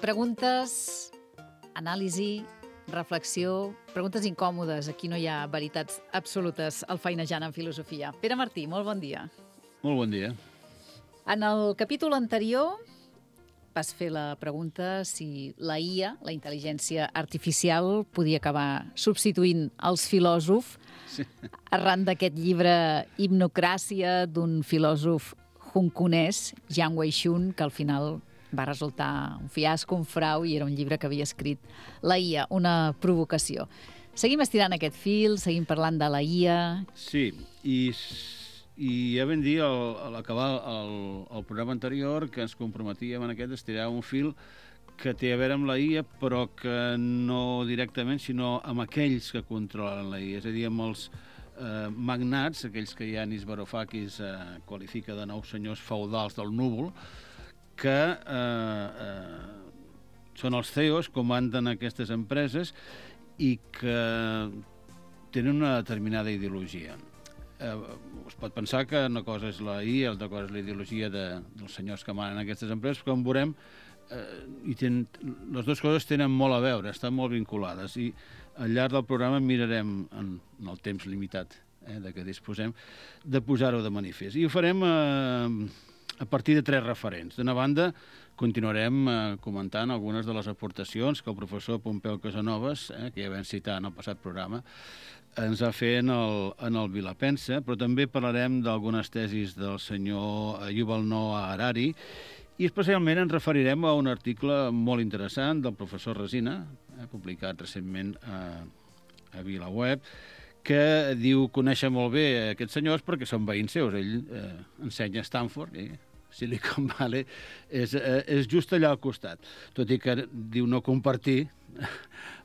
Preguntes, anàlisi, reflexió, preguntes incòmodes. Aquí no hi ha veritats absolutes al Feinejant en Filosofia. Pere Martí, molt bon dia. Molt bon dia. En el capítol anterior vas fer la pregunta si la IA, la intel·ligència artificial, podia acabar substituint els filòsofs arran d'aquest llibre Hipnocràcia d'un filòsof hongkonès, Jiang Wei-shun, que al final va resultar un fiasco, un frau, i era un llibre que havia escrit la IA, una provocació. Seguim estirant aquest fil, seguim parlant de la IA. Sí, i ja vam dir a l'acabar el programa anterior que ens comprometíem en aquest estirar un fil que té a veure amb la IA, però que no directament, sinó amb aquells que controlen la IA, és a dir, amb els magnats, aquells que Yanis Varoufakis qualifica de nous senyors feudals del núvol, que són els CEOs, comanden aquestes empreses i que tenen una determinada ideologia. Es pot pensar que una cosa és la IA, l'altra cosa és la ideologia dels senyors que manen aquestes empreses, però com veurem, les dues coses tenen molt a veure, estan molt vinculades, i al llarg del programa mirarem, en el temps limitat de què disposem, de posar-ho de manifest. I ho farem a partir de 3 referents. D'una banda, continuarem comentant algunes de les aportacions que el professor Pompeu Casanovas, que ja vam citar en el passat programa, ens ha fet en el Vilapensa, però també parlarem d'algunes tesis del senyor Yuval Noah Harari, i especialment ens referirem a un article molt interessant del professor Resina, publicat recentment a VilaWeb, que diu conèixer molt bé aquests senyors perquè són veïns seus. Ell ensenya a Stanford, Silicon Valley és just allà al costat, tot i que diu no compartir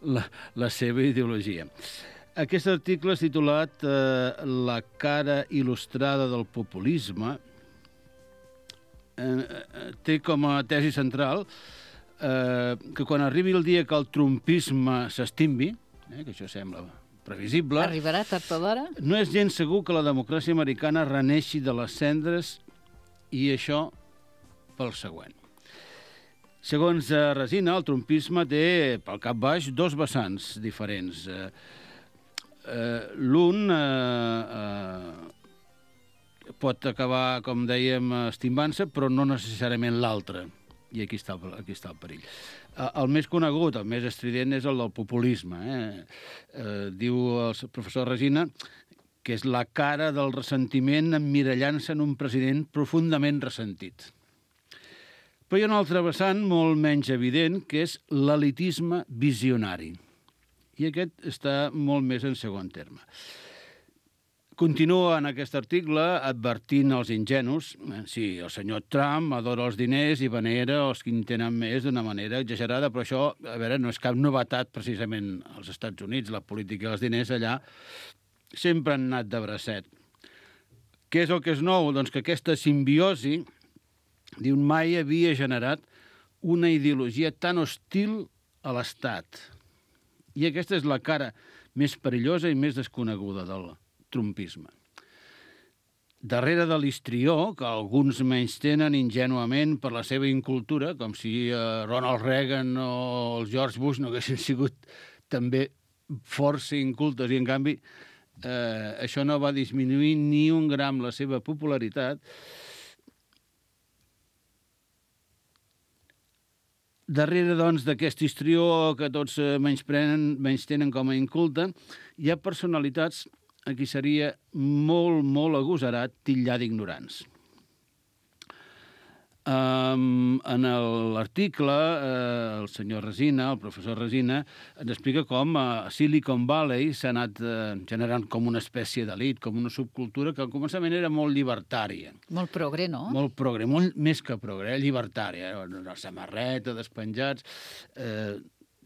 la seva ideologia. Aquest article és titulat La cara il·lustrada del populisme. Té com a tesi central que quan arribi el dia que el trumpisme s'estimbi, que això sembla previsible, arribarà tard o d'hora, no és gens segur que la democràcia americana reneixi de les cendres, i això pel següent. Segons Resina, el trumpisme té pel cap baix 2 vessants diferents. L'un pot acabar, com dèiem, estimbant-se, però no necessàriament l'altre. I aquí està el perill. El més conegut, el més estrident, és el del populisme. Diu el professor Resina que és la cara del ressentiment emmirallant-se en un president profundament ressentit. Però hi ha un altre vessant molt menys evident, que és l'elitisme visionari. I aquest està molt més en segon terme. Continua en aquest article advertint els ingenus. Sí, el senyor Trump adora els diners i venera els que en tenen més d'una manera exagerada, però això, a veure, no és cap novetat precisament als Estats Units. La política dels diners allà sempre han anat de bracet. Què és el que és nou? Doncs que aquesta simbiosi, diu, mai havia generat una ideologia tan hostil a l'Estat. I aquesta és la cara més perillosa i més desconeguda del trumpisme. Darrere de l'histrió, que alguns menystenen ingenuament per la seva incultura, com si Ronald Reagan o el George Bush no haguessin sigut també força incultes, i en canvi això no va disminuir ni un gram la seva popularitat. Darrere, doncs, d'aquest histrió que tots menystenen com a inculta, hi ha personalitats a qui seria molt, molt agosarat titllar d'ignorants. En l'article, el senyor Resina, el professor Resina, ens explica com a Silicon Valley s'ha anat generant com una espècie d'elit, com una subcultura que al començament era molt llibertària. Molt progre, no? Molt progre, molt més que progre, llibertària. La samarreta, despenjats,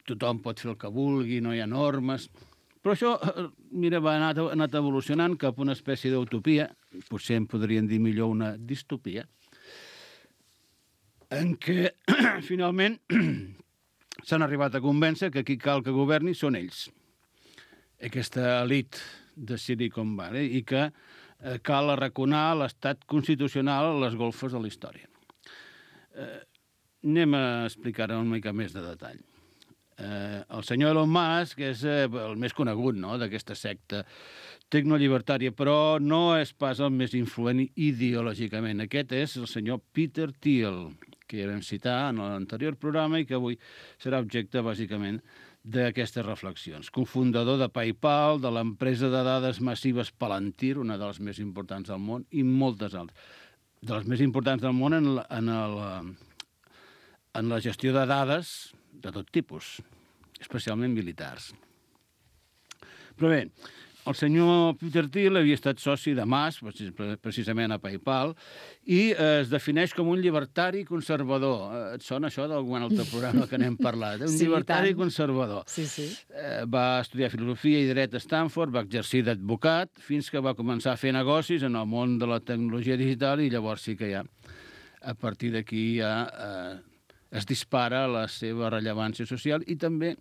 tothom pot fer el que vulgui, no hi ha normes. Però això, mira, ha anat evolucionant cap a una espècie d'utopia, potser en podrien dir millor una distopia, en què finalment s'han arribat a convèncer que qui cal que governi són ells, aquesta elit de Silicon Valley, i que cal arraconar l'estat constitucional a les golfes de la història. anem a explicar una mica més de detall. El senyor Elon Musk és el més conegut, no?, d'aquesta secta tecnollibertària, però no és pas el més influent ideològicament. Aquest és el senyor Peter Thiel, que ja vam citar en l'anterior programa i que avui serà objecte, bàsicament, d'aquestes reflexions. Cofundador de PayPal, de l'empresa de dades massives Palantir, una de les més importants del món, i moltes altres. De les més importants del món en la gestió de dades de tot tipus, especialment militars. Però bé, el senyor Peter Thiel havia estat soci de Musk, precisament a PayPal, i es defineix com un llibertari conservador. Et sona això d'algun altre programa que n'hem parlat? Un llibertari conservador. Sí, sí. Va estudiar filosofia i dret a Stanford, va exercir d'advocat, fins que va començar a fer negocis en el món de la tecnologia digital i llavors sí que ja, a partir d'aquí ja es dispara la seva rellevància social i també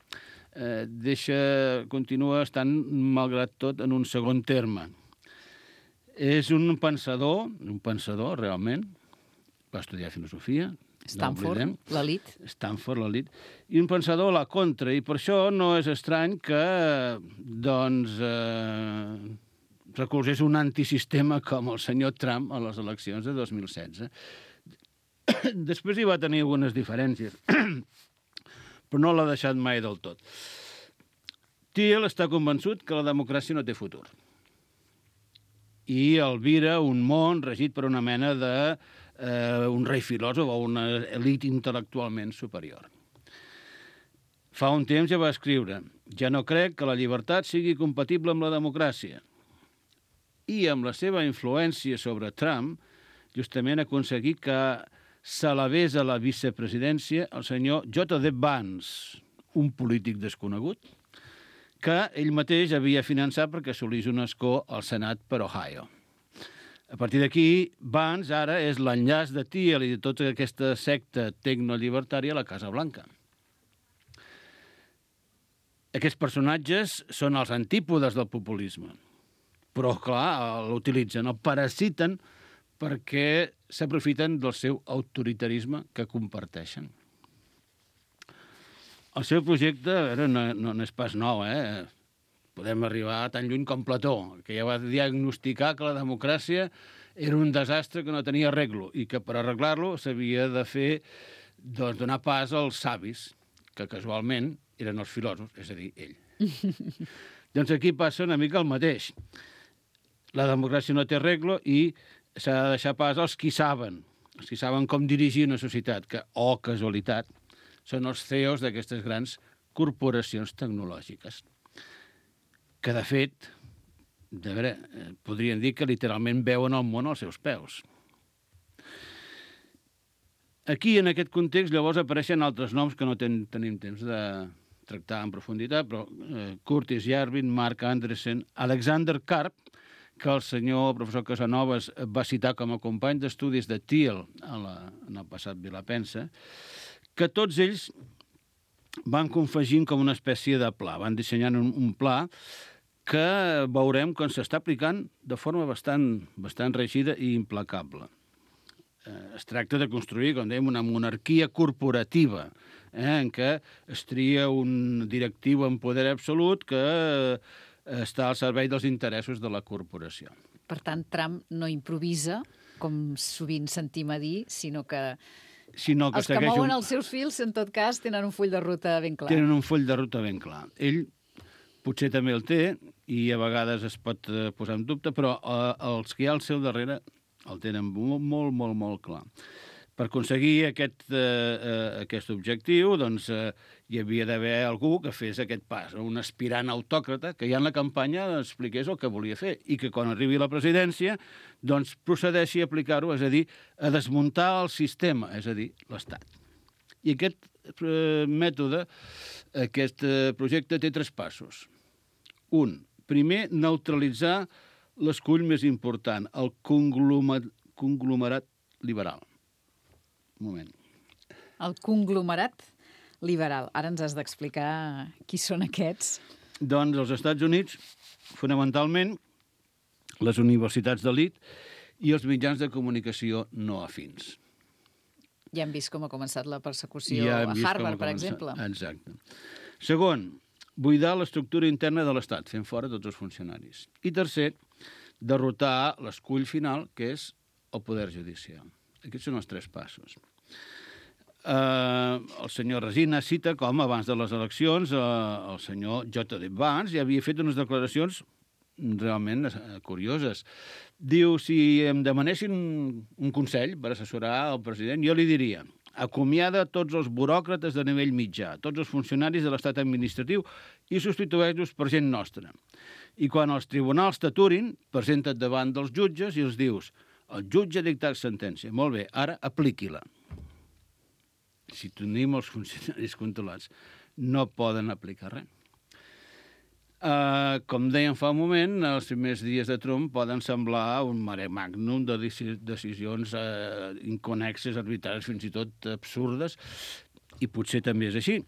continua estant, malgrat tot, en un segon terme. És un pensador realment, va estudiar filosofia, Stanford, l'elit. Stanford, l'elit, i un pensador a la contra, i per això no és estrany que, doncs, recolzés un antisistema com el senyor Trump a les eleccions de 2016. Després hi va tenir algunes diferències, però no l'ha deixat mai del tot. Thiel està convençut que la democràcia no té futur i albira un món regit per una mena de un rei filòsof o una elit intel·lectualment superior. Fa un temps ja va escriure: «Ja no crec que la llibertat sigui compatible amb la democràcia». I amb la seva influència sobre Trump, justament ha aconseguit que s'elevés a la vicepresidència el senyor J.D. Vance, un polític desconegut, que ell mateix havia finançat perquè assolís un escó al Senat per Ohio. A partir d'aquí, Vance ara és l'enllaç de Thiel i de tota aquesta secta tecnollibertària a la Casa Blanca. Aquests personatges són els antípodes del populisme, però, clar, l'utilitzen, el parasiten perquè s'aprofiten del seu autoritarisme que comparteixen. El seu projecte no és pas nou, Podem arribar tan lluny com Plató, que ja va diagnosticar que la democràcia era un desastre que no tenia arreglo i que per arreglar-lo s'havia de fer, doncs, donar pas als savis, que casualment eren els filòsofs, és a dir, ell. Doncs aquí passa una mica el mateix. La democràcia no té arreglo i s'ha de deixar pas als qui saben com dirigir una societat, que, oh casualitat, són els CEOs d'aquestes grans corporacions tecnològiques, que, de fet, podrien dir que literalment veuen el món als seus peus. Aquí, en aquest context, llavors apareixen altres noms que no tenim temps de tractar en profunditat, però Curtis Yarvin, Mark Andreessen, Alexander Karp, que el senyor professor Casanovas va citar com a company d'estudis de Thiel en el passat Vilapensa, que tots ells van confegint com una espècie de pla, van dissenyant un pla que veurem com s'està aplicant de forma bastant rígida i implacable. Es tracta de construir, com dèiem, una monarquia corporativa, en què es tria un directiu en poder absolut que està al servei dels interessos de la corporació. Per tant, Trump no improvisa, com sovint sentim a dir, sinó que els que mouen els seus fils, en tot cas, tenen un full de ruta ben clar. Tenen un full de ruta ben clar. Ell potser també el té, i a vegades es pot posar en dubte, però els que hi ha al seu darrere el tenen molt clar. Per aconseguir aquest objectiu, doncs, hi havia d'haver algú que fes aquest pas, un aspirant autòcrata que ja en la campanya expliqués el que volia fer i que quan arribi a la presidència doncs procedeixi a aplicar-ho, és a dir, a desmuntar el sistema, és a dir, l'Estat. I aquest mètode, aquest projecte té 3 passos. Un, primer, neutralitzar l'escull més important, el conglomerat liberal. Un moment. El conglomerat liberal. Ara ens has d'explicar qui són aquests. Doncs els Estats Units, fonamentalment, les universitats d'elit i els mitjans de comunicació no afins. Ja hem vist com ha començat la persecució a Harvard, per exemple. Exacte. Segon, buidar l'estructura interna de l'Estat, fent fora tots els funcionaris. I tercer, derrotar l'escull final, que és el poder judicial. Aquests són els 3 passos. El senyor Resina cita com abans de les eleccions el senyor J.D. Vance ja havia fet unes declaracions realment curioses. Diu, si em demanessin un consell per assessorar el president, jo li diria: acomiada tots els buròcrates de nivell mitjà, tots els funcionaris de l'estat administratiu i substitueix-los per gent nostra. I quan els tribunals t'aturin, presenta't davant dels jutges i els dius: el jutge ha dictat sentència. Molt bé, ara apliqui-la. Si tenim els funcionaris controlats, no poden aplicar res. Com dèiem fa un moment, els primers dies de Trump poden semblar un mare magnum de decisions inconnexes, arbitràries, fins i tot absurdes, i potser també és així.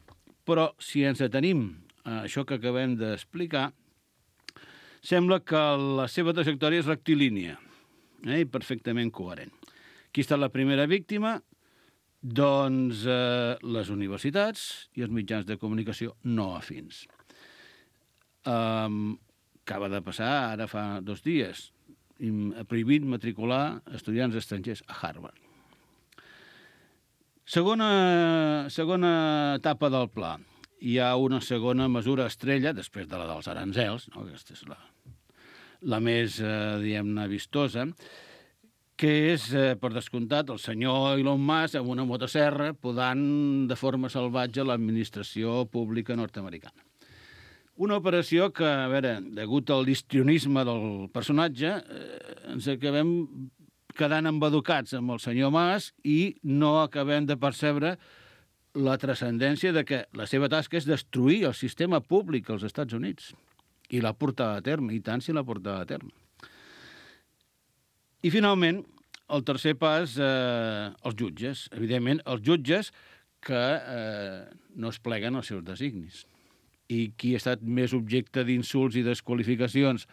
Però si ens atenim a això que acabem d'explicar, sembla que la seva trajectòria és rectilínia i perfectament coherent. Qui ha estat la primera víctima? Doncs les universitats i els mitjans de comunicació no afins. Acaba de passar, ara fa 2 dies, ha prohibit matricular estudiants estrangers a Harvard. Segona etapa del pla. Hi ha una segona mesura estrella, després de la dels aranzels, no? Aquesta és la més, diguem-ne, vistosa, que és, per descomptat, el senyor Elon Musk amb una motosserra podant de forma salvatge l'administració pública nord-americana. Una operació que, a veure, degut al histrionisme del personatge, ens acabem quedant embaducats amb el senyor Musk i no acabem de percebre la transcendència de que la seva tasca és destruir el sistema públic als Estats Units. I l'ha portat a terme, i tant si l'ha portat a terme. I, finalment, el tercer pas, els jutges. Evidentment, els jutges que no es pleguen als seus designis. I qui ha estat més objecte d'insults i desqualificacions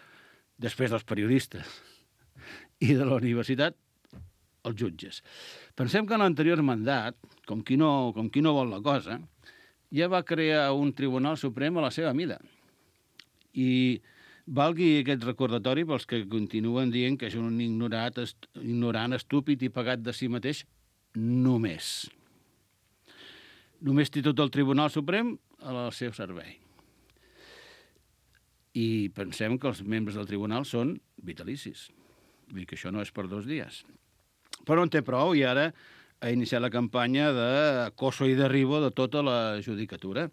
després dels periodistes i de la universitat? Els jutges. Pensem que en l'anterior mandat, com qui no vol la cosa, ja va crear un Tribunal Suprem a la seva mida. I valgui aquest recordatori pels que continuen dient que és un ignorant, estúpid i pagat de si mateix, només. Només té tot el Tribunal Suprem al seu servei. I pensem que els membres del tribunal són vitalicis. Vull dir que això no és per 2 dies. Però en té prou i ara ha iniciat la campanya d'acoso i derribo de tota la judicatura.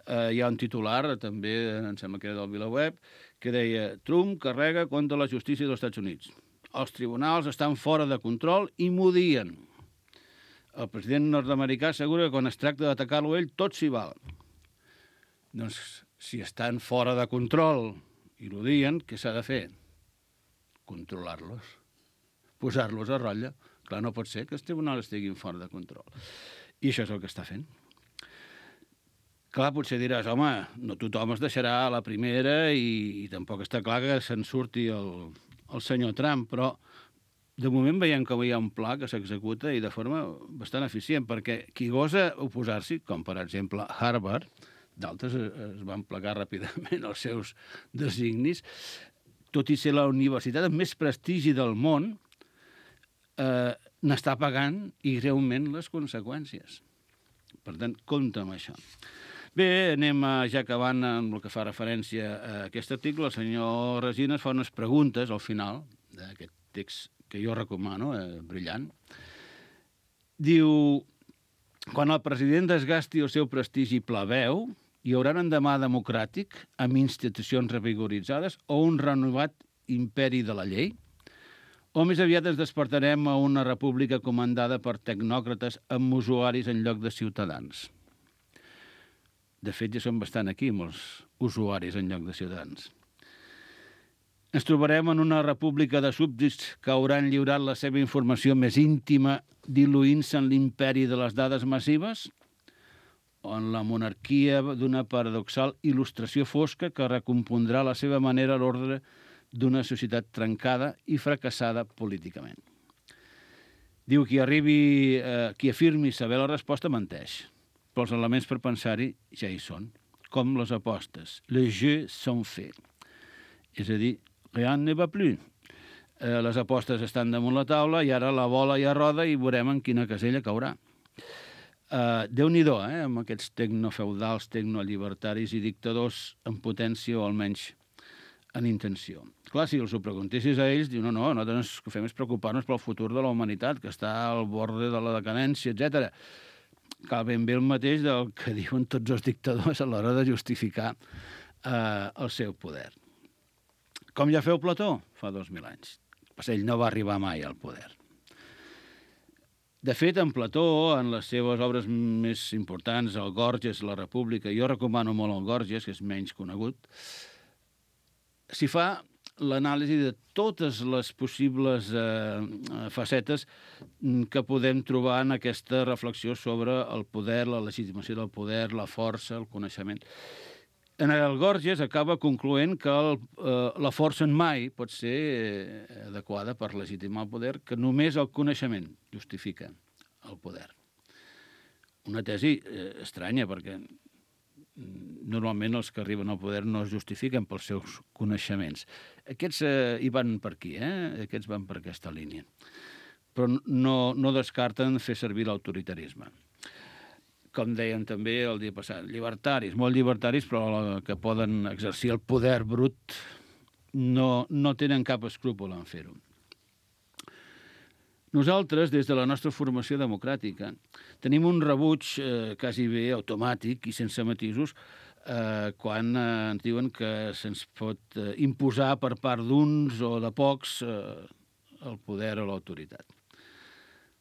Hi ha un titular, també, em sembla que era del VilaWeb, que deia: Trump carrega contra la justícia dels Estats Units. Els tribunals estan fora de control i m'odien. El president nord-americà assegura que quan es tracta d'atacar-lo ell, tot s'hi val. Doncs, si estan fora de control i l'odien, què s'ha de fer? Controlar-los. Posar-los a ratlla. Clar, no pot ser que els tribunals estiguin fora de control. I això és el que està fent. Clar, potser diràs, home, no tothom es deixarà a la primera i tampoc està clar que se'n surti el senyor Trump, però de moment veiem que hi ha un pla que s'executa i de forma bastant eficient, perquè qui gosa oposar-s'hi, com per exemple Harvard, d'altres es van plegar ràpidament als seus designis, tot i ser la universitat amb més prestigi del món, n'està pagant i greument les conseqüències. Per tant, compte amb això. Bé, anem ja acabant amb el que fa referència a aquest article. El senyor Resines fa unes preguntes al final d'aquest text que jo recomano, brillant. Diu: quan el president desgasti el seu prestigi plebeu, hi haurà un endemà democràtic amb institucions revigoritzades o un renovat imperi de la llei? O més aviat ens despertarem a una república comandada per tecnòcrates amb usuaris en lloc de ciutadans? De fet, ja són bastant aquí, molts usuaris en lloc de ciutadans. Ens trobarem en una república de súbdits que hauran lliurat la seva informació més íntima diluint-se en l'imperi de les dades massives? O en la monarquia d'una paradoxal il·lustració fosca que recompondrà a la seva manera l'ordre d'una societat trencada i fracassada políticament? Diu, qui afirmi saber la resposta menteix, però els elements per pensar-hi ja hi són, com les apostes. Les jeux sont faits. És a dir, rien ne va plus. Les apostes estan damunt la taula i ara la bola ja roda i veurem en quina casella caurà. Déu-n'hi-do, amb aquests tecnofeudals, tecnollibertaris i dictadors en potència o almenys en intenció. Clar, si els ho preguntessis a ells, diu, no, nosaltres el que fem és preocupar-nos pel futur de la humanitat, que està al borde de la decadència, etc. Cal ben bé el mateix del que diuen tots els dictadors a l'hora de justificar el seu poder. Com ja feu Plató fa 2000 anys. Pues ell no va arribar mai al poder. De fet, en Plató, en les seves obres més importants, el Gorgias, la República, jo recomano molt el Gorgias, que és menys conegut, s'hi fa l'anàlisi de totes les possibles facetes que podem trobar en aquesta reflexió sobre el poder, la legitimació del poder, la força, el coneixement. En el Gorgias acaba concloent que la força mai pot ser adequada per legitimar el poder, que només el coneixement justifica el poder. Una tesi estranya, perquè normalment els que arriben al poder no es justifiquen pels seus coneixements. Aquests hi van per aquí, Aquests van per aquesta línia. Però no descarten fer servir l'autoritarisme. Com deien també el dia passat, llibertaris, molt llibertaris, però que poden exercir el poder brut no tenen cap escrúpol en fer-ho. Nosaltres, des de la nostra formació democràtica, tenim un rebuig quasi bé automàtic i sense matisos quan ens diuen que se'ns pot imposar per part d'uns o de pocs el poder o l'autoritat.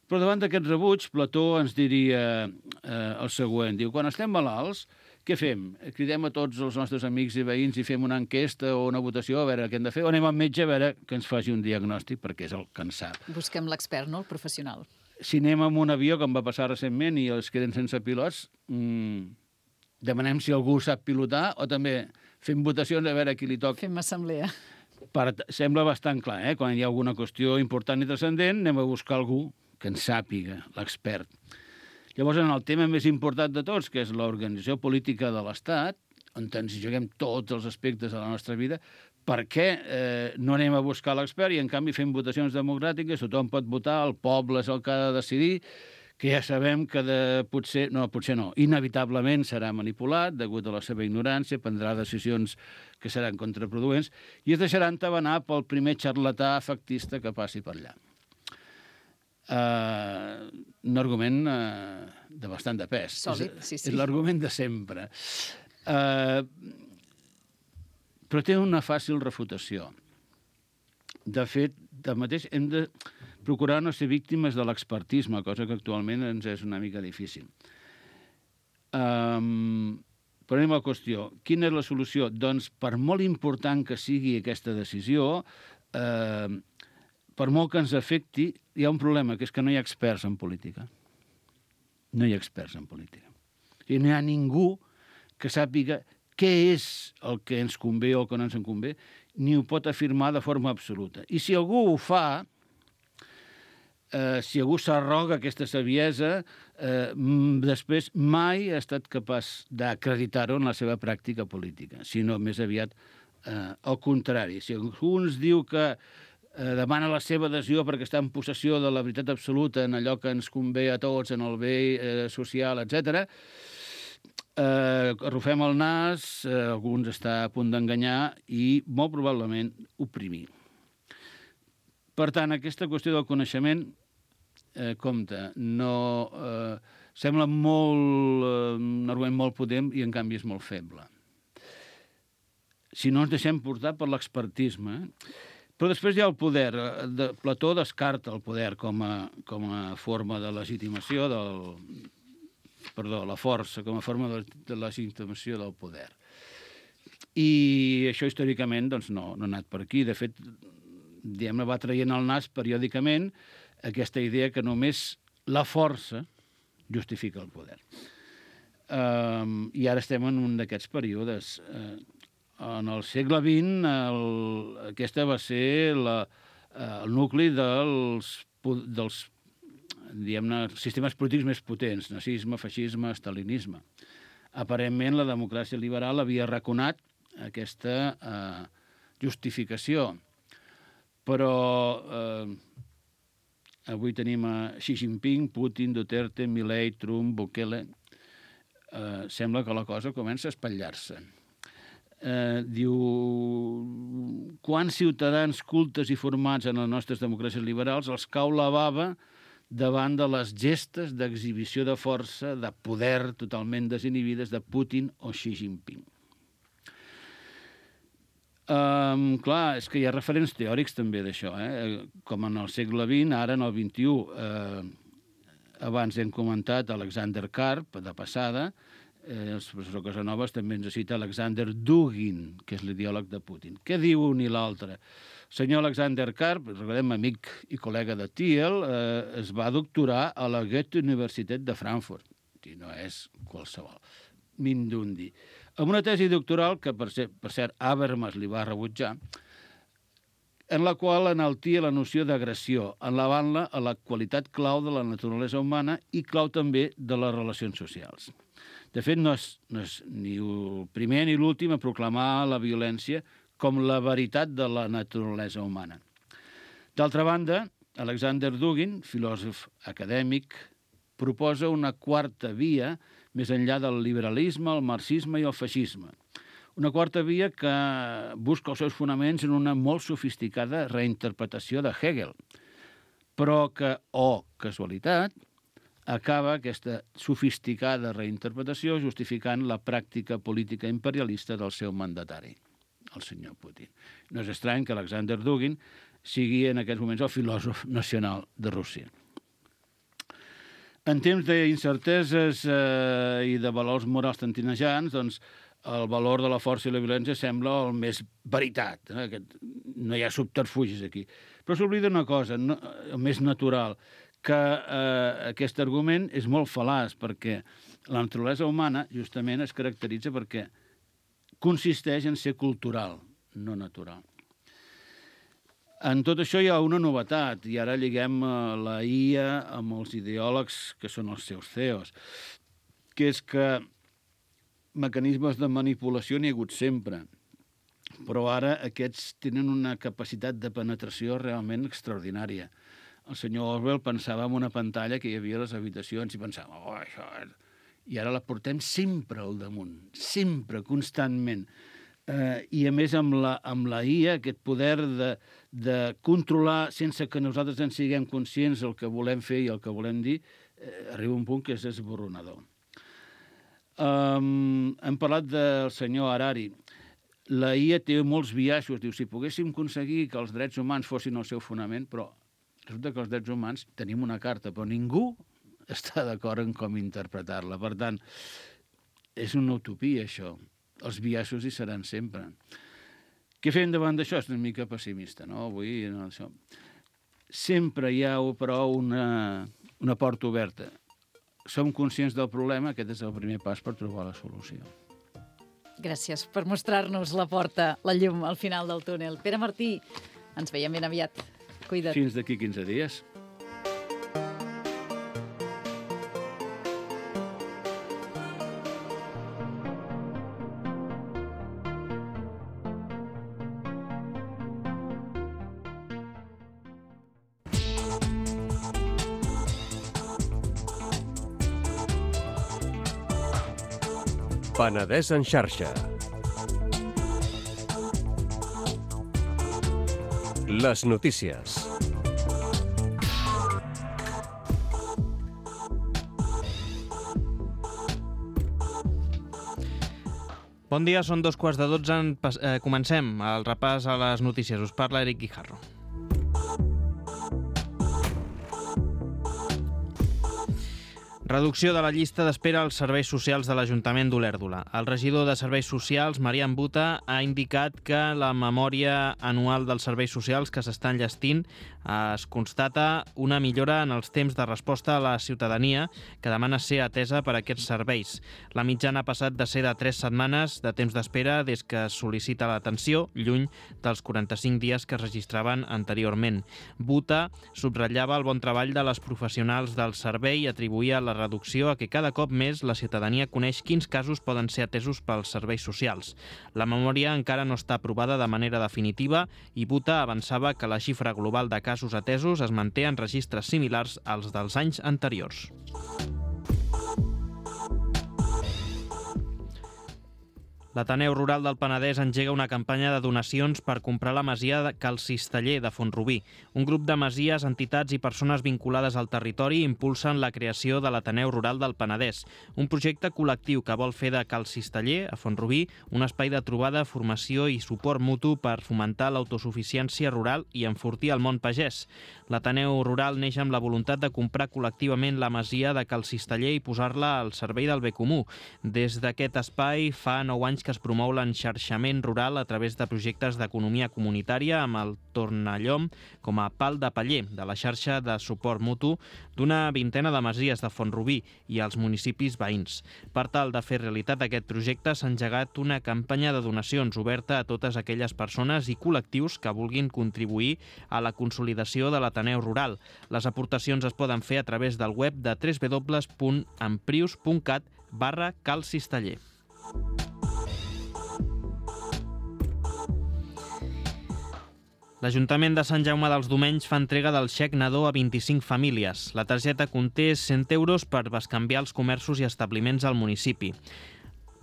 Però davant d'aquest rebuig, Plató ens diria el següent. Diu, quan estem malalts, què fem? Cridem a tots els nostres amics i veïns i fem una enquesta o una votació a veure què hem de fer, o anem al metge a veure que ens faci un diagnòstic, perquè és el que en sap. Busquem l'expert, no? El professional. Si anem amb un avió, com va passar recentment, i els queden sense pilots, demanem si algú sap pilotar o també fem votacions a veure a qui li toca. Fem assemblea. Sembla bastant clar, Quan hi ha alguna qüestió important i transcendent, anem a buscar algú que en sàpiga, l'expert. Llavors, en el tema més important de tots, que és l'organització política de l'Estat, on ens juguem tots els aspectes de la nostra vida, per què no anem a buscar l'expert i, en canvi, fem votacions democràtiques, tothom pot votar, el poble és el que ha de decidir, que ja sabem que potser no, inevitablement serà manipulat, degut a la seva ignorància, prendrà decisions que seran contraproduents i es deixarà entabanar pel primer xarlatà efectista que passi per allà. Un argument de bastant de pes. Sòlid, sí. És l'argument de sempre. Però té una fàcil refutació. De fet, tanmateix, hem de procurar no ser víctimes de l'expertisme, cosa que actualment ens és una mica difícil. Però anem a la qüestió. Quina és la solució? Doncs, per molt important que sigui aquesta decisió, per molt que ens afecti, hi ha un problema, que és que no hi ha experts en política. No hi ha experts en política. I no hi ha ningú que sàpiga què és el que ens convé o el que no ens en convé, ni ho pot afirmar de forma absoluta. I si algú ho fa, si algú s'arroga aquesta saviesa, després mai ha estat capaç d'acreditar-ho en la seva pràctica política, sinó més aviat al contrari. Si algú ens diu que demana la seva adhesió perquè està en possessió de la veritat absoluta en allò que ens convé a tots, en el bé social, etc. Arrufem el nas, alguns està a punt d'enganyar i molt probablement oprimir. Per tant, aquesta qüestió del coneixement, compte, sembla un argument molt potent i en canvi és molt feble. Si no ens deixem portar per l'expertisme, Però després hi ha el poder. Plató descarta el poder com a forma de legitimació la força com a forma de legitimació del poder. I això històricament doncs, no ha anat per aquí. De fet, va traient el nas periòdicament aquesta idea que només la força justifica el poder. I ara estem en un d'aquests períodes. En el segle XX, aquesta va ser el nucli dels diguem-ne, sistemes polítics més potents, nazisme, feixisme, stalinisme. Aparentment, la democràcia liberal havia arraconat aquesta justificació, però avui tenim a Xi Jinping, Putin, Duterte, Milei, Trump, Bukele. Sembla que la cosa comença a espatllar-se. Diu, quants ciutadans cultes i formats en les nostres democràcies liberals els cau la bava davant de les gestes d'exhibició de força, de poder totalment desinhibides de Putin o Xi Jinping. Clar, és que hi ha referents teòrics també d'això, com en el segle XX, ara en el XXI. Abans hem comentat Alexander Karp, de passada, el professor Casanovas també ens cita Alexander Dugin, que és l'ideòleg de Putin. Què diu un i l'altre? El senyor Alexander Karp, recordem, amic i col·lega de Thiel, es va doctorar a la Goethe-Universitat de Frankfurt. I no és qualsevol. Mindundi. Amb una tesi doctoral que, per cert, Habermas li va rebutjar, en la qual enaltia la noció d'agressió, elevant-la a la qualitat clau de la naturalesa humana i clau també de les relacions socials. De fet, no és ni el primer ni l'últim a proclamar la violència com la veritat de la naturalesa humana. D'altra banda, Alexander Dugin, filòsof acadèmic, proposa una quarta via més enllà del liberalisme, el marxisme i el feixisme. Una quarta via que busca els seus fonaments en una molt sofisticada reinterpretació de Hegel, però que, casualitat, acaba aquesta sofisticada reinterpretació justificant la pràctica política imperialista del seu mandatari, el senyor Putin. No és estrany que Alexander Dugin sigui en aquests moments el filòsof nacional de Rússia. En temps d'incerteses i de valors morals tantinejants, doncs, el valor de la força i la violència sembla el més veritat. No hi ha subterfugis aquí. Però s'oblida una cosa, el més natural, que aquest argument és molt fal·laç, perquè la naturalesa humana justament es caracteritza perquè consisteix en ser cultural, no natural. En tot això hi ha una novetat, i ara lliguem la IA amb els ideòlegs que són els seus CEOs, que és que mecanismes de manipulació n'hi ha hagut sempre, però ara aquests tenen una capacitat de penetració realment extraordinària. El senyor Orwell pensava en una pantalla que hi havia a les habitacions i pensava, això és... I ara la portem sempre al damunt, sempre, constantment. I a més amb la IA, aquest poder de controlar sense que nosaltres en siguem conscients el que volem fer i el que volem dir, arriba un punt que és esborronador. Hem parlat del senyor Harari. La IA té molts biaixos. Diu, si poguéssim aconseguir que els drets humans fossin el seu fonament, però resulta que els drets humans tenim una carta, però ningú està d'acord en com interpretar-la. Per tant, és una utopia, això. Els biaixos hi seran sempre. Què fem davant d'això? És una mica pessimista, no? Avui, no, això. Sempre hi ha, però, una porta oberta. Som conscients del problema, aquest és el primer pas per trobar la solució. Gràcies per mostrar-nos la porta, la llum al final del túnel. Pere Martí, ens veiem ben aviat. Cuida't. Fins d'aquí 15 dies. Penedès en xarxa. Les notícies. Bon dia, són 2:15. Comencem el repàs a les notícies. Us parla Eric Guijarro. Reducció de la llista d'espera als serveis socials de l'Ajuntament d'Olèrdola. El regidor de Serveis Socials, Marian Buta, ha indicat que la memòria anual dels serveis socials que s'estan enllestint es constata una millora en els temps de resposta a la ciutadania que demana ser atesa per aquests serveis. La mitjana ha passat de ser de 3 setmanes de temps d'espera des que es sol·licita l'atenció, lluny dels 45 dies que es registraven anteriorment. Buta subratllava el bon treball de les professionals del servei i atribuïa la reducció a que cada cop més la ciutadania coneix quins casos poden ser atesos pels serveis socials. La memòria encara no està aprovada de manera definitiva i Buta avançava que la xifra global de casos atesos es manté en registres similars als dels anys anteriors. L'Ateneu Rural del Penedès engega una campanya de donacions per comprar la masia de Cal Cisteller de Font-rubí. Un grup de masies, entitats i persones vinculades al territori impulsen la creació de l'Ateneu Rural del Penedès, un projecte col·lectiu que vol fer de Cal Cisteller, a Font-rubí, un espai de trobada, formació i suport mutu per fomentar l'autosuficiència rural i enfortir el món pagès. L'Ateneu Rural neix amb la voluntat de comprar col·lectivament la masia de Cal Cisteller i posar-la al servei del bé comú. Des d'aquest espai fa 9 anys que es promou l'enxarxament rural a través de projectes d'economia comunitària amb el Tornallom com a pal de paller de la xarxa de suport mutu d'una vintena de masies de Font-rubí i els municipis veïns. Per tal de fer realitat aquest projecte s'ha engegat una campanya de donacions oberta a totes aquelles persones i col·lectius que vulguin contribuir a la consolidació de l'Ateneu Rural. Les aportacions es poden fer a través del web de www.amprius.cat/calcisteller. L'Ajuntament de Sant Jaume dels Domenys fa entrega del xec nadó a 25 famílies. La targeta conté 100 euros per bescanviar els comerços i establiments al municipi.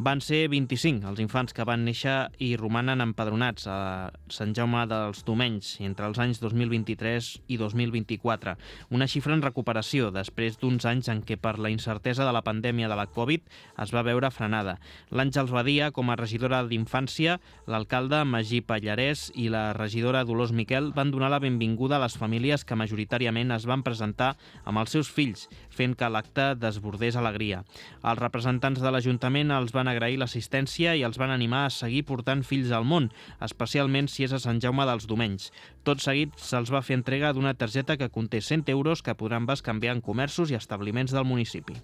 Van ser 25 els infants que van néixer i romanen empadronats a Sant Jaume dels Domenys entre els anys 2023 i 2024. Una xifra en recuperació després d'uns anys en què per la incertesa de la pandèmia de la Covid es va veure frenada. L'Àngels Badia, com a regidora d'Infància, l'alcalde Magí Pallarès i la regidora Dolors Miquel van donar la benvinguda a les famílies que majoritàriament es van presentar amb els seus fills, fent que l'acte desbordés alegria. Els representants de l'Ajuntament els van agrair l'assistència i els van animar a seguir portant fills al món, especialment si és a Sant Jaume dels Domenys. Tot seguit se'ls va fer entrega d'una targeta que conté 100 euros que podran bescanviar en comerços i establiments del municipi.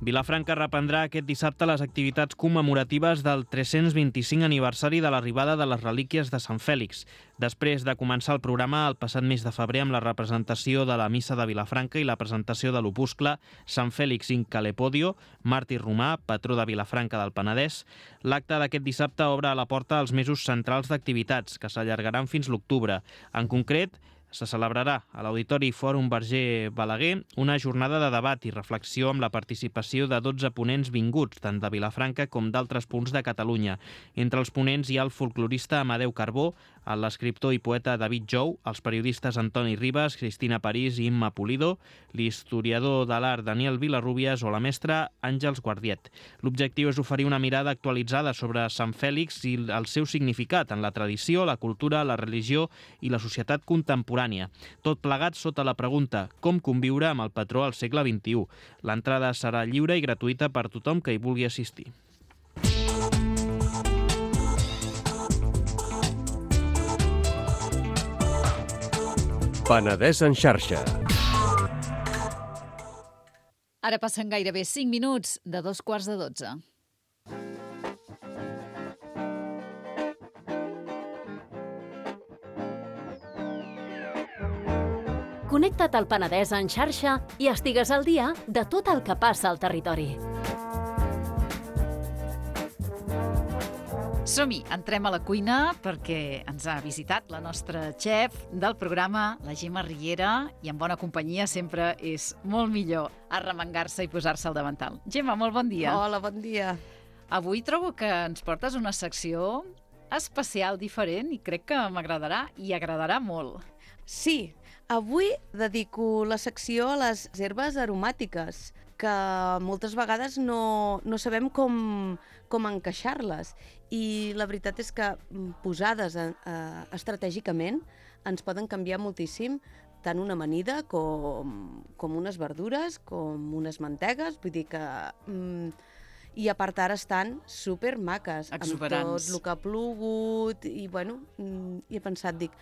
Vilafranca reprendrà aquest dissabte les activitats commemoratives del 325 aniversari de l'arribada de les relíquies de Sant Fèlix, després de començar el programa el passat mes de febrer amb la representació de la Missa de Vilafranca i la presentació de l'opuscle Sant Fèlix in Calepodio, màrtir romà, patró de Vilafranca del Penedès. L'acte d'aquest dissabte obre a la porta els mesos centrals d'activitats, que s'allargaran fins l'octubre. En concret, se celebrarà a l'Auditori Fòrum Verger Balaguer una jornada de debat i reflexió amb la participació de 12 ponents vinguts, tant de Vilafranca com d'altres punts de Catalunya. Entre els ponents hi ha el folclorista Amadeu Carbó, l'escriptor i poeta David Jou, els periodistes Antoni Ribas, Cristina París i Imma Pulido, l'historiador de l'art Daniel Vilarrubias o la mestra Àngels Guardiet. L'objectiu és oferir una mirada actualitzada sobre Sant Fèlix i el seu significat en la tradició, la cultura, la religió i la societat contemporània. Tot plegat sota la pregunta com conviure amb el patró al segle XXI. L'entrada serà lliure i gratuïta per tothom que hi vulgui assistir. Penedès en xarxa. Ara passen gairebé 5 minuts de 11:45. Connecta't al Penedès en xarxa i estigues al dia de tot el que passa al territori. Som-hi, entrem a la cuina perquè ens ha visitat la nostra xef del programa, la Gemma Riera, i en bona companyia sempre és molt millor arremangar-se i posar-se al davantal. Gemma, molt bon dia. Hola, bon dia. Avui trobo que ens portes una secció especial, diferent, i crec que m'agradarà i agradarà molt. Sí, avui dedico la secció a les herbes aromàtiques, que moltes vegades no sabem com encaixar-les. I la veritat és que posades estratègicament ens poden canviar moltíssim tant una amanida com unes verdures, com unes mantegues, vull dir que... I a part ara estan supermaques, exuberants, amb tot el que ha plogut, i bueno, i he pensat, dic,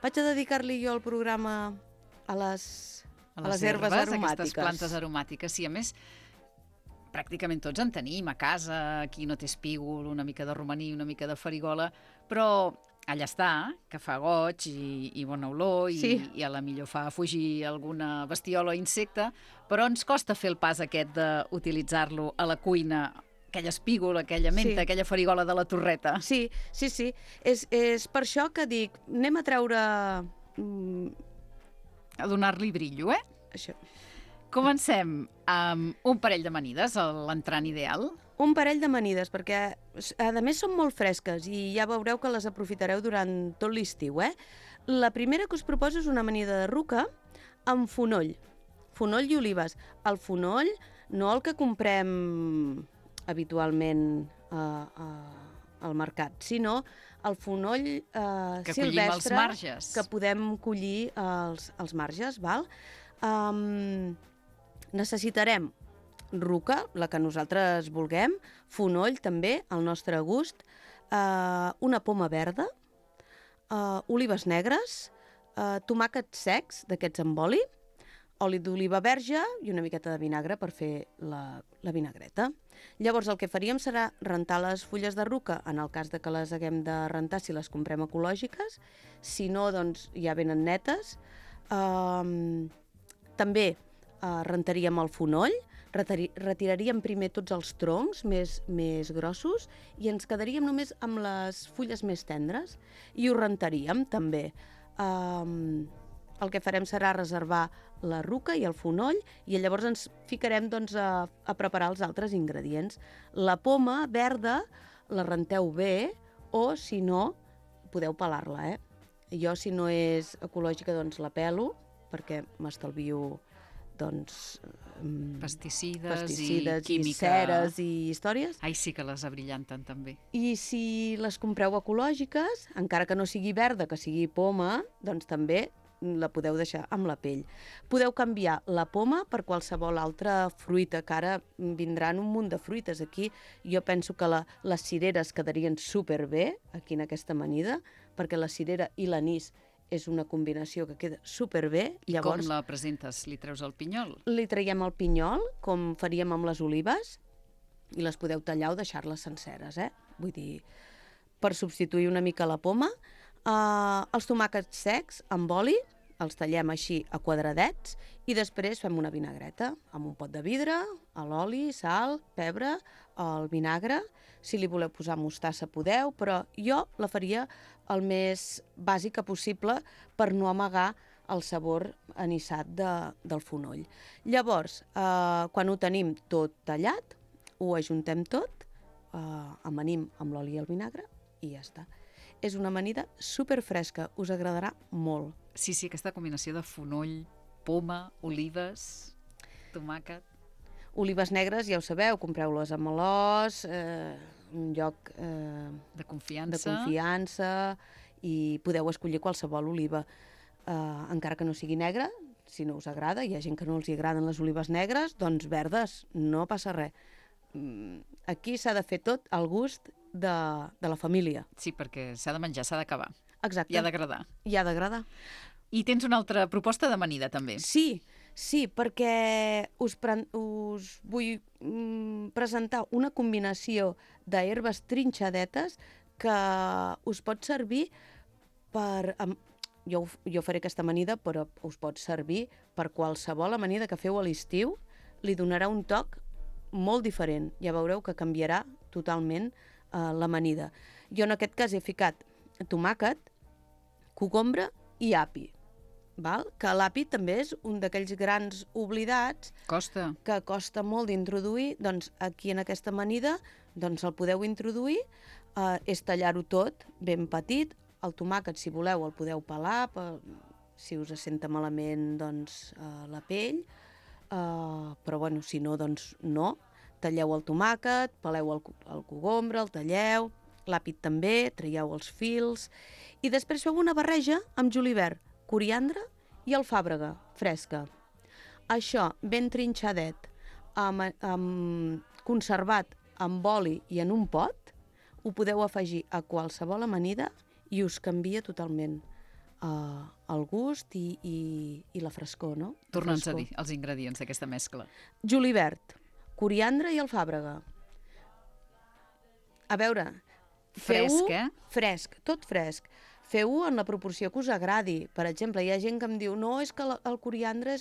vaig a dedicar-li jo el programa a les herbes aromàtiques. Aquestes plantes aromàtiques, sí, a més, pràcticament tots en tenim a casa, aquí no té espígol, una mica de romaní, una mica de farigola, però allà està, que fa goig i bona olor, i a la millor fa fugir alguna bestiola o insecte, però ens costa fer el pas aquest d'utilitzar-lo a la cuina, aquell espígol, aquella menta, aquella farigola de la torreta. Sí. És per això que dic, anem a treure... A donar-li brillo, Això. Comencem amb un parell d'amanides, l'entrant ideal. Un parell d'amanides, perquè a més són molt fresques i ja veureu que les aprofitareu durant tot l'estiu, La primera que us proposo és una amanida de ruca amb fonoll i olives. El fonoll, no el que comprem habitualment al mercat, sinó el fonoll que silvestre als marges, que podem collir als marges, val? Necessitarem ruca, la que nosaltres vulguem, fonoll també, al nostre gust, una poma verda, olives negres, tomàquets secs, d'aquests amb oli d'oliva verge i una miqueta de vinagre per fer la vinagreta. Llavors el que faríem serà rentar les fulles de ruca, en el cas de que les haguem de rentar si les comprem ecològiques, si no, doncs ja venen netes. També rentaríem el fonoll, retiraríem primer tots els troncs més grossos i ens quedaríem només amb les fulles més tendres i ho rentaríem també. El que farem serà reservar la ruca i el fonoll i llavors ens ficarem a preparar els altres ingredients. La poma verda la renteu bé o, si no, podeu pelar-la. Jo, si no és ecològica, doncs la pelo perquè m'estalvio pesticides i química, ceres i històries. Ai, sí que les abrillanten també. I si les compreu ecològiques, encara que no sigui verda, que sigui poma, doncs també la podeu deixar amb la pell. Podeu canviar la poma per qualsevol altra fruita, que ara vindran un munt de fruites aquí. Jo penso que les cireres quedarien superbé aquí en aquesta amanida, perquè la cirera i l'anís és una combinació que queda superbé. Llavors, com la presentes? Li treus el pinyol? Li traiem el pinyol, com faríem amb les olives, i les podeu tallar o deixar-les senceres, Vull dir, per substituir una mica la poma. Els tomàquets secs amb oli, els tallem així a quadradets i després fem una vinagreta amb un pot de vidre, l'oli, sal, pebre, el vinagre. Si li voleu posar mostassa podeu, però jo la faria el més bàsica possible per no amagar el sabor anissat del fonoll. Llavors, quan ho tenim tot tallat, ho ajuntem tot, amanim amb l'oli i el vinagre i ja està. És una amanida superfresca, us agradarà molt. Sí, aquesta combinació de fonoll, poma, olives, tomàquet. Olives negres, ja ho sabeu, compreu-les a Malòs, un lloc de confiança i podeu escollir qualsevol oliva, encara que no sigui negra, si no us agrada. Hi ha gent que no els agraden les olives negres, doncs verdes, no passa res. Aquí s'ha de fer tot al gust de la família. Sí, perquè s'ha de menjar, s'ha d'acabar. Exacte. I ha d'agradar. I ha d'agradar. I tens una altra proposta d'amanida, també. Sí, perquè us vull presentar una combinació d'herbes trinxadetes que us pot servir per... Jo faré aquesta amanida, però us pot servir per qualsevol amanida que feu a l'estiu. Li donarà un toc molt diferent. Ja veureu que canviarà totalment l'amanida. Jo en aquest cas he ficat tomàquet, cogombre i api. Que l'api també és un d'aquells grans oblidats que costa molt d'introduir. Doncs aquí en aquesta amanida el podeu introduir, és tallar-ho tot ben petit. El tomàquet, si voleu, el podeu pelar, si us senta malament la pell. però bueno, si no, doncs no. Talleu el tomàquet, peleu el cogombre, el talleu, l'àpid també, traieu els fils, i després feu una barreja amb julivert, coriandre i alfàbrega fresca. Això ben trinxadet, conservat amb oli i en un pot, ho podeu afegir a qualsevol amanida i us canvia totalment el gust i la frescor, no? Torna'ns a dir els ingredients d'aquesta mescla. Julivert, coriandre i alfàbrega. A veure, Fresc, Fresc, tot fresc. Feu-ho en la proporció que us agradi. Per exemple, hi ha gent que em diu no, és que el coriandre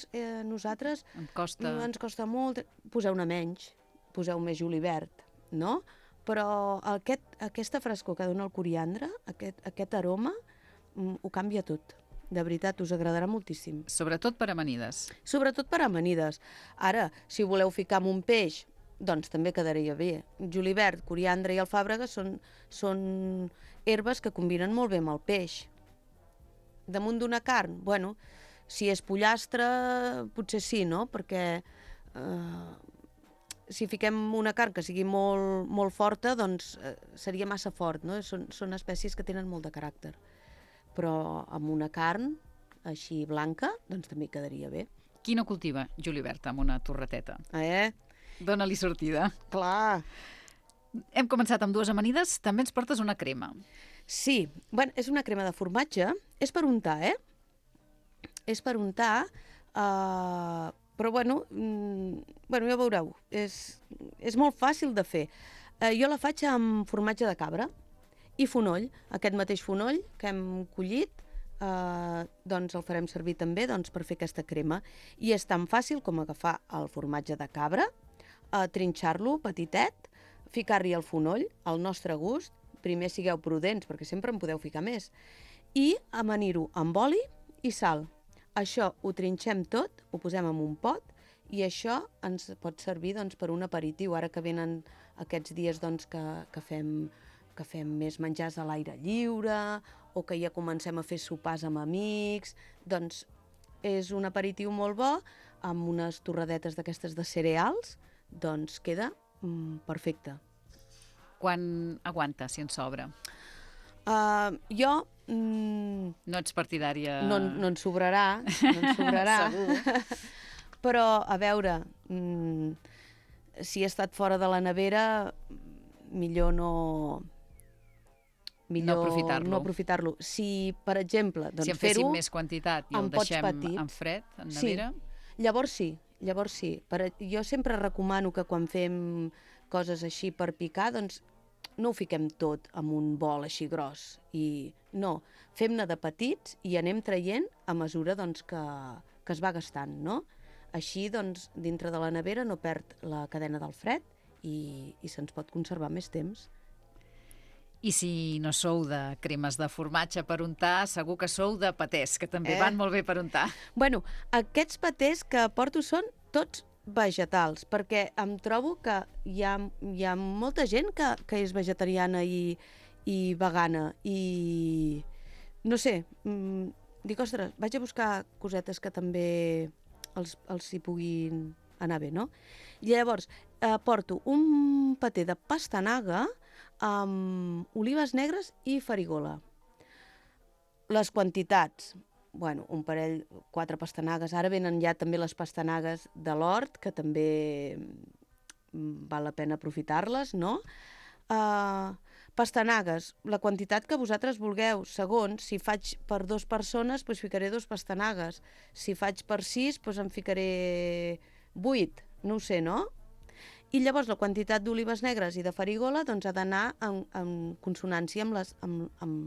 nosaltres ens costa molt. Poseu-ne menys, poseu més julivert, no? Però aquesta frescor que dona el coriandre, aquest aroma, ho canvia tot. De veritat, us agradarà moltíssim. Sobretot per amanides. Sobretot per amanides. Ara, si voleu ficar amb un peix, doncs també quedaria bé. Julivert, coriandre i alfàbrega són herbes que combinen molt bé amb el peix. Damunt d'una carn, bueno, si és pollastre, potser sí, no? Perquè si fiquem una carn que sigui molt, molt forta, doncs seria massa fort, no? Són espècies que tenen molt de caràcter. Però amb una carn així blanca, doncs també quedaria bé. Qui no cultiva julivert amb una torreteta? Dóna-li sortida. Clar. Hem començat amb dues amanides, també ens portes una crema. Sí, bueno, és una crema de formatge, és per untar, És per untar, però bueno, ja veureu, és molt fàcil de fer. Jo la faig amb formatge de cabra i fonoll, aquest mateix fonoll que hem collit, doncs el farem servir també per fer aquesta crema. I és tan fàcil com agafar el formatge de cabra, trinxar-lo petitet, ficar-hi el fonoll, al nostre gust, primer sigueu prudents perquè sempre en podeu ficar més, i amanir-ho amb oli i sal. Això ho trinxem tot, ho posem en un pot i això ens pot servir per un aperitiu, ara que venen aquests dies que fem més menjars a l'aire lliure o que ja comencem a fer sopars amb amics, doncs és un aperitiu molt bo amb unes torradetes d'aquestes de cereals, doncs queda perfecte. Quan aguanta, si en sobra? Jo... No ets partidària... No en sobrarà, Segur. Però, a veure, si he estat fora de la nevera, millor no aprofitar-lo. Si, per exemple, si en féssim més quantitat i el deixem en fred, en nevera... Llavors sí. Jo sempre recomano que quan fem coses així per picar, doncs no ho fiquem tot en un bol així gros. No, fem-ne de petits i anem traient a mesura que es va gastant, no? Així, doncs, dintre de la nevera no perd la cadena del fred i se'ns pot conservar més temps. I si no sou de cremes de formatge per untar, segur que sou de patés, que també van molt bé per untar. Bueno, aquests patés que porto són tots vegetals, perquè em trobo que hi ha molta gent que és vegetariana i vegana, i no sé, dic, ostres, vaig a buscar cosetes que també els hi puguin anar bé, no? I llavors porto un paté de pastanaga amb olives negres i farigola. Les quantitats, bueno, un parell, 4 pastanagues. Ara venen ja també les pastanagues de l'hort, que també val la pena aprofitar-les, no? Pastanagues, la quantitat que vosaltres vulgueu. Segons, si faig per 2 persones, doncs ficaré 2 pastanagues. Si faig per 6, doncs en ficaré 8. No ho sé, no? I llavors la quantitat d'olives negres i de farigola doncs ha d'anar en consonància amb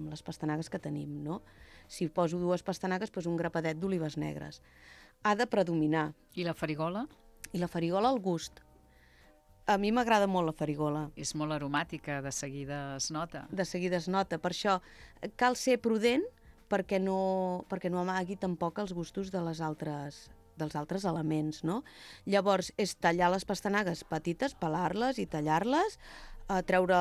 les pastanagues que tenim, no? Si poso 2 pastanagues, doncs un grapadet d'olives negres. Ha de predominar. I la farigola? I la farigola al gust. A mi m'agrada molt la farigola. És molt aromàtica, de seguida es nota. De seguida es nota. Per això cal ser prudent perquè no amagui tampoc els gustos dels altres elements, no? Llavors, és tallar les pastanagues petites, pelar-les i tallar-les, treure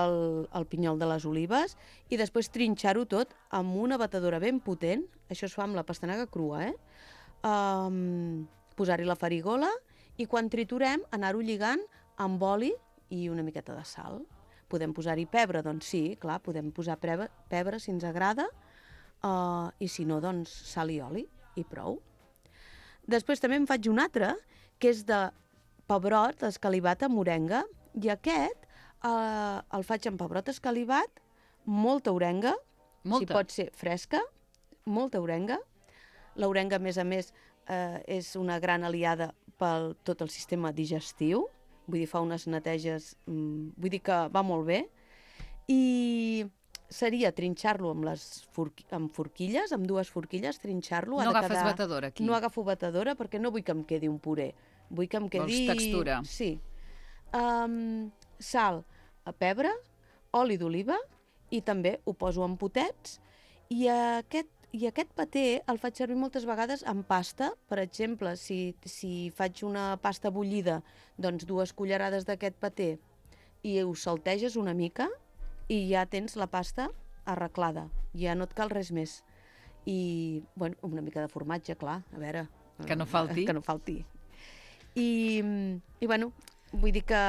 el pinyol de les olives i després trinxar-ho tot amb una batedora ben potent, això es fa amb la pastanaga crua, posar-hi la farigola i quan triturem anar-ho lligant amb oli i una miqueta de sal. Podem posar-hi pebre, doncs sí, clar, podem posar pebre si ens agrada, i si no, doncs sal i oli i prou. Després també en faig un altre, que és de pebrot escalivat amb orenga, i aquest el faig amb pebrot escalivat, molta orenga, si pot ser fresca, molta orenga. L'orenga, a més, és una gran aliada per tot el sistema digestiu, vull dir, fa unes neteges, vull dir que va molt bé, i seria trinxar-lo amb forquilles, amb 2 forquilles, trinxar-lo. No agafes batedora aquí? No agafo batedora perquè no vull que em quedi un puré, vull que em quedi... Vols textura? Sí. Sal, pebre, oli d'oliva, i també ho poso en potets, i aquest paté el faig servir moltes vegades amb pasta. Per exemple, si faig una pasta bullida, doncs 2 cullerades d'aquest paté i ho salteges una mica i ja tens la pasta arreglada, ja no et cal res més. I, bueno, una mica de formatge, clar, a veure... Que no falti. Que no falti. I bueno, vull dir que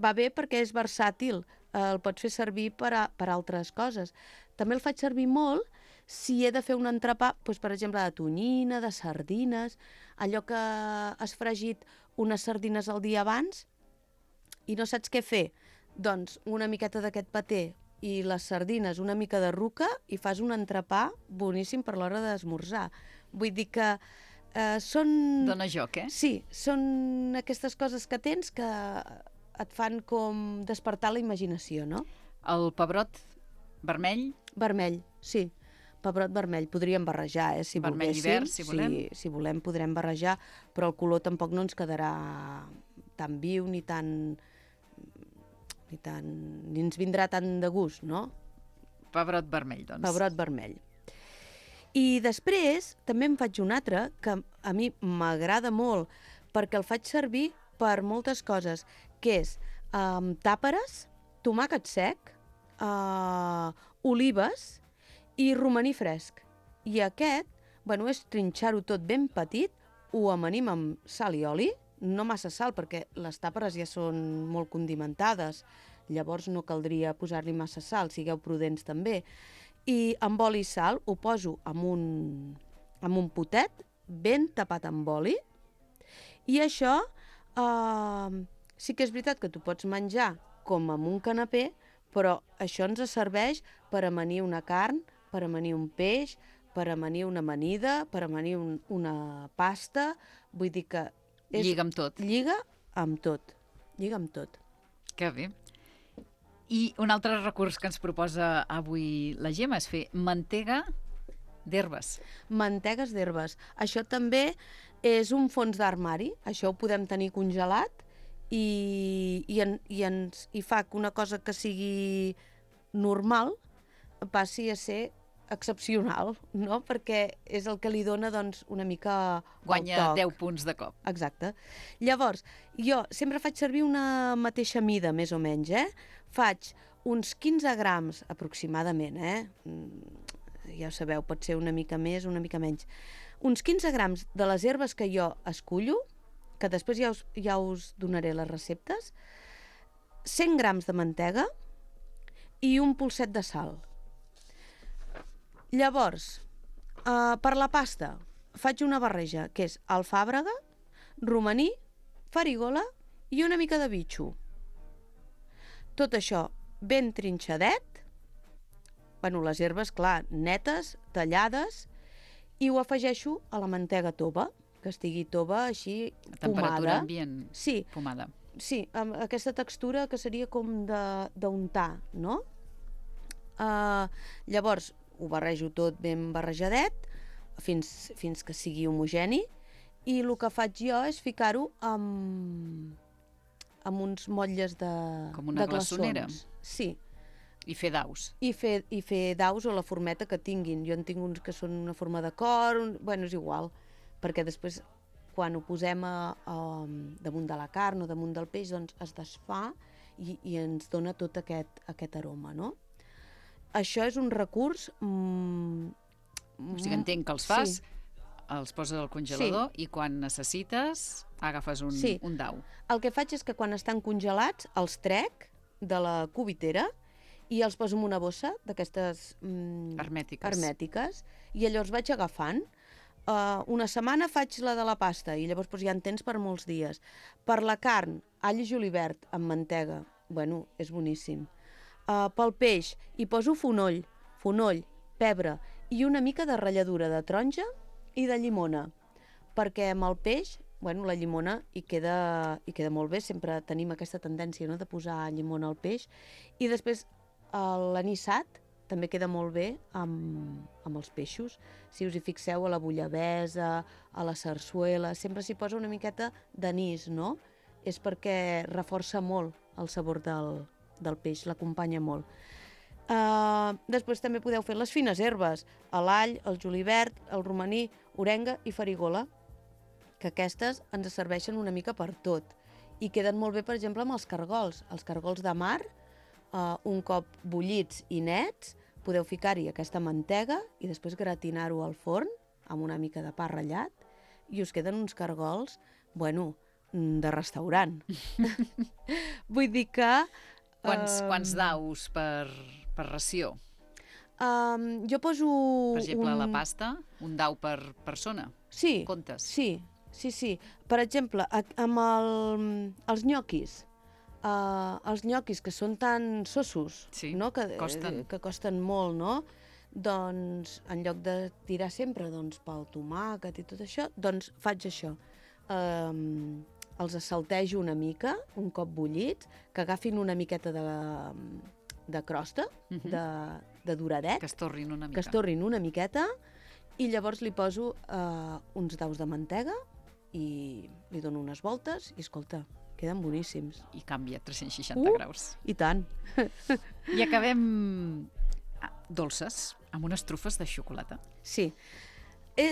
va bé perquè és versàtil, el pots fer servir per altres coses. També el faig servir molt si he de fer un entrepà, doncs, per exemple, de tonyina, de sardines, allò que has fregit unes sardines el dia abans i no saps què fer. Doncs una miqueta d'aquest paté i les sardines, una mica de ruca, i fas un entrepà boníssim per l'hora d'esmorzar. Vull dir que són... Dóna joc, eh? Sí, són aquestes coses que tens que et fan com despertar la imaginació, no? El pebrot vermell? Vermell, sí. Pebrot vermell. Podríem barrejar, si vermell volguéssim. I verd, si volem. Sí, si volem podrem barrejar, però el color tampoc no ens quedarà tan viu ni ens vindrà tant de gust, no? Pebrot vermell, doncs. Pebrot vermell. I després també en faig un altre que a mi m'agrada molt perquè el faig servir per moltes coses, que és tàperes, tomàquet sec, olives i romaní fresc. I aquest, bueno, és trinxar-ho tot ben petit, ho amanim amb sal i oli, no massa sal perquè les tàperes ja són molt condimentades, llavors no caldria posar-li massa sal, sigueu prudents també. I amb oli i sal ho poso amb un potet ben tapat amb oli, i això sí que és veritat que tu pots menjar com amb un canapé, però això ens serveix per amanir una carn, per amanir un peix, per amanir una amanida, per amanir una pasta, vull dir que... Lliga amb tot. Lliga amb tot. Lliga amb tot. Que bé. I un altre recurs que ens proposa avui la Gemma és fer mantega d'herbes. Mantegues d'herbes. Això també és un fons d'armari. Això ho podem tenir congelat i fa que una cosa que sigui normal passi a ser excepcional, no? Perquè és el que li dona, doncs, una mica guanya el toc. 10 punts de cop. Exacte. Llavors, jo sempre faig servir una mateixa mida, més o menys, Faig uns 15 grams, aproximadament, Ja ho sabeu, pot ser una mica més, una mica menys. Uns 15 grams de les herbes que jo escullo, que després ja us donaré les receptes, 100 grams de mantega i un polset de sal. Llavors, per la pasta, faig una barreja, que és alfàbrega, romaní, farigola i una mica de bitxo. Tot això ben trinxadet, bueno, les herbes, clar, netes, tallades, i ho afegeixo a la mantega tova, que estigui tova així pomada. A temperatura ambient, sí, pomada. Sí, amb aquesta textura que seria com d'untar, no? Llavors, ho barrejo tot ben barrejadet, fins que sigui homogeni, i el que faig jo és ficar-ho amb uns motlles de com una glaçonera. Sí. I fer daus. I fer daus o la formeta que tinguin. Jo en tinc uns que són una forma de cor, bueno, és igual, perquè després quan ho posem damunt de la carn o damunt del peix, doncs es desfà i ens dona tot aquest aroma, no? Això és un recurs... O sigui, entenc que els fas els poses al congelador i quan necessites agafes un dau. El que faig és que quan estan congelats els trec de la cubitera i els poso en una bossa d'aquestes hermètiques i llavors vaig agafant. Una setmana faig la de la pasta i llavors ja en tens per molts dies. Per la carn, all i julivert amb mantega. Bueno, és boníssim. Pel peix hi poso fonoll, pebre i una mica de ratlladura de taronja i de llimona. Perquè amb el peix, la llimona hi queda molt bé. Sempre tenim aquesta tendència, no?, de posar llimona al peix. I després l'anissat també queda molt bé amb els peixos. Si us hi fixeu, a la bullabessa, a la sarsuela, sempre s'hi posa una miqueta d'anís, no? És perquè reforça molt el sabor del peix, l'acompanya molt. Després també podeu fer les fines herbes, l'all, el julivert, el romaní, orenga i farigola, que aquestes ens serveixen una mica per tot. I queden molt bé, per exemple, amb els cargols. Els cargols de mar, un cop bullits i nets, podeu ficar-hi aquesta mantega i després gratinar-ho al forn amb una mica de pa ratllat i us queden uns cargols, de restaurant. Vull dir que... Quants daus per ració? Jo poso... Per exemple, a la pasta, un dau per persona? Sí, comptes? Sí. Per exemple, amb els nyoquis, que són tan sossos, no? Que costen molt, no? Doncs, en lloc de tirar sempre pel tomàquet i tot això, doncs faig això. Els saltejo una mica, un cop bullits, que agafin una miqueta de crosta, de doradet. Que es torrin una mica. Que es torrin una miqueta, i llavors li poso uns daus de mantega i li dono unes voltes i, escolta, queden boníssims. I canvia 360 graus. I tant. I acabem dolces, amb unes trufes de xocolata. Sí.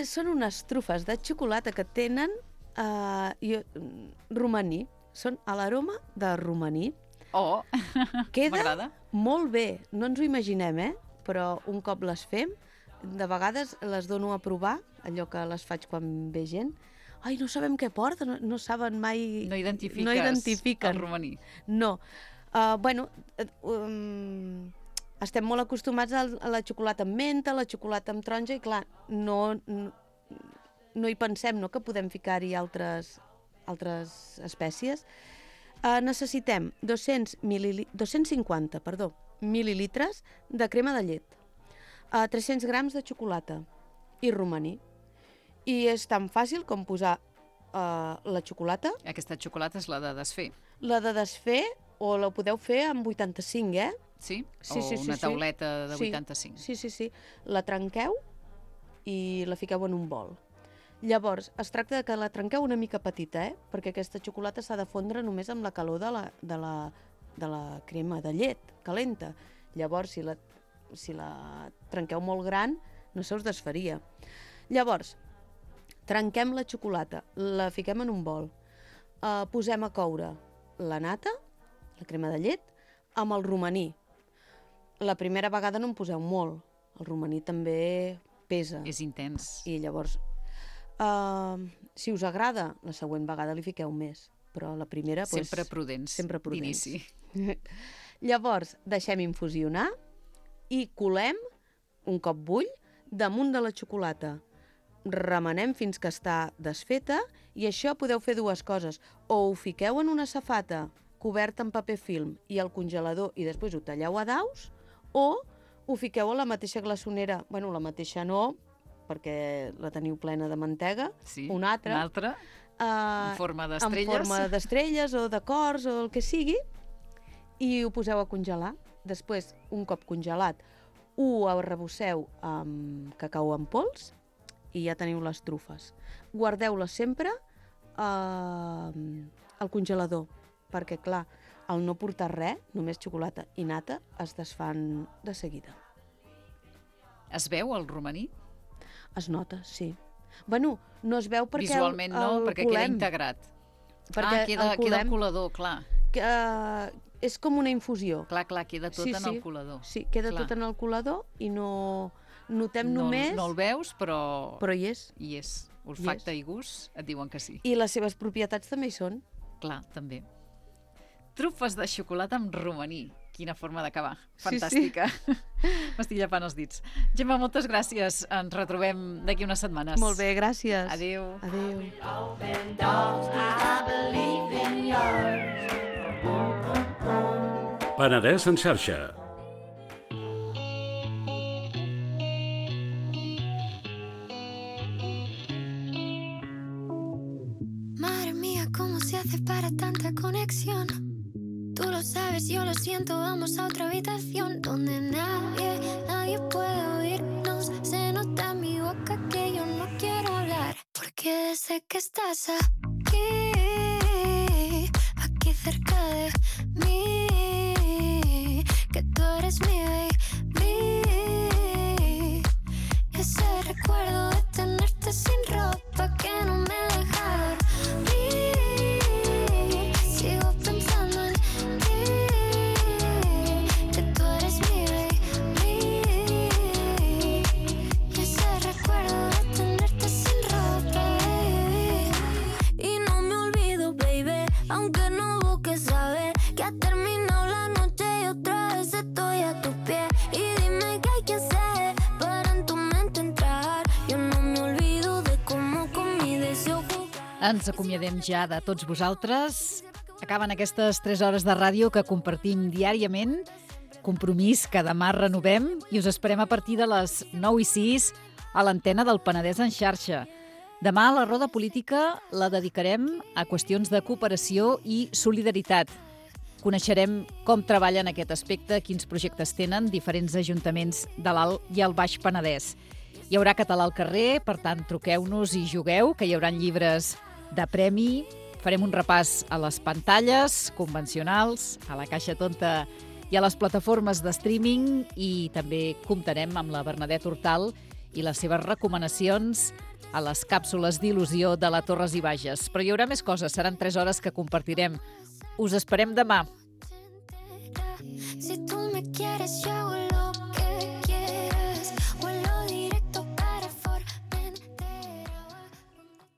Són unes trufes de xocolata que tenen romaní. Són a l'aroma de romaní. Oh, m'agrada. Queda molt bé. No ens ho imaginem, però un cop les fem, de vegades les dono a provar, allò que les faig quan ve gent. Ai, no sabem què porta, no saben mai... No identifiques el romaní. No. Estem molt acostumats a la xocolata amb menta, a la xocolata amb taronja, i clar, no hi pensem, no?, que podem ficar-hi altres espècies. Necessitem 250 mil·lilitres de crema de llet, 300 grams de xocolata i romaní. I és tan fàcil com posar la xocolata. Aquesta xocolata és la de desfer. La de desfer, o la podeu fer amb 85, Sí? Una tauleta de 85. Sí. La trenqueu i la fiqueu en un bol. Llavors, es tracta de que la trenqueu una mica petita, perquè aquesta xocolata s'ha de fondre només amb la calor de la crema de llet calenta. Llavors, si la trenqueu molt gran, no se us desfaria. Llavors, trenquem la xocolata, la fiquem en un bol, posem a coure la nata, la crema de llet, amb el romaní. La primera vegada no en poseu molt, el romaní també pesa. És intens. I llavors, si us agrada, la següent vegada li fiqueu més, però la primera... Sempre prudents, d'inici. Llavors, deixem infusionar i colem, un cop bull, damunt de la xocolata. Remenem fins que està desfeta i això podeu fer dues coses. O ho fiqueu en una safata coberta amb paper film i al congelador i després ho talleu a daus, o ho fiqueu a la mateixa glaçonera, la mateixa no, perquè la teniu plena de mantega, una altra, en forma d'estrelles. En forma d'estrelles o de cors o el que sigui, i ho poseu a congelar. Després, un cop congelat, ho arrebosseu amb cacau en pols i ja teniu les trufes. Guardeu-les sempre al congelador, perquè, clar, al no portar res, només xocolata i nata, es desfan de seguida. Es veu el romaní? Es nota, sí. No es veu perquè visualment no, perquè queda integrat. Queda al colador, clar. És com una infusió. Clar, queda tot en el colador. Sí, queda tot en el colador i no notem només... No el veus, però... Però hi és. Hi és. Olfacte i gust et diuen que sí. I les seves propietats també hi són. Clar, també. Trufes de xocolata amb romaní. Quina forma d'acabar. Fantàstica. Sí. M'estic llepant els dits. Gemma, moltes gràcies. Ens retrobem d'aquí unes setmanes. Molt bé, gràcies. Adéu. Adéu. Penedès en xarxa. Madre mía, ¿cómo se hace para tanta conexión? Tú lo sabes, yo lo siento, vamos a otra habitación donde nadie puede oírnos. Se nota en mi boca que yo no quiero hablar, porque sé que estás aquí cerca de mí, que tú eres mi baby. Y ese recuerdo de tenerte sin ropa que no me deja dormir. Sigo pensando en que tú eres mi baby. Y ese recuerdo de tenerte sin ropa, baby. Y no me olvido, baby, aunque no busques saber que ha terminado la noche y otra vez estoy a tus pies. Y dime qué hay que hacer para en tu mente entrar. Yo no me olvido de cómo con mi deseo jugar. Ens acomiadem ja de tots vosaltres. Acaben aquestes 3 hores de ràdio que compartim diàriament. Compromís que demà renovem i us esperem a partir de les 9:06 a l'antena del Penedès en xarxa. Demà la roda política la dedicarem a qüestions de cooperació i solidaritat. Coneixerem com treballen aquest aspecte, quins projectes tenen diferents ajuntaments de l'Alt i el Baix Penedès. Hi haurà català al carrer, per tant, truqueu-nos i jugueu, que hi haurà llibres de premi. Farem un repàs a les pantalles convencionals, a la caixa tonta i a les plataformes de streaming i també comptarem amb la Bernadette Hortal i les seves recomanacions a les càpsules d'il·lusió de la Torres i Bages. Però hi haurà més coses, seran 3 hores que compartirem. Us esperem demà. Si tú me quieres, yo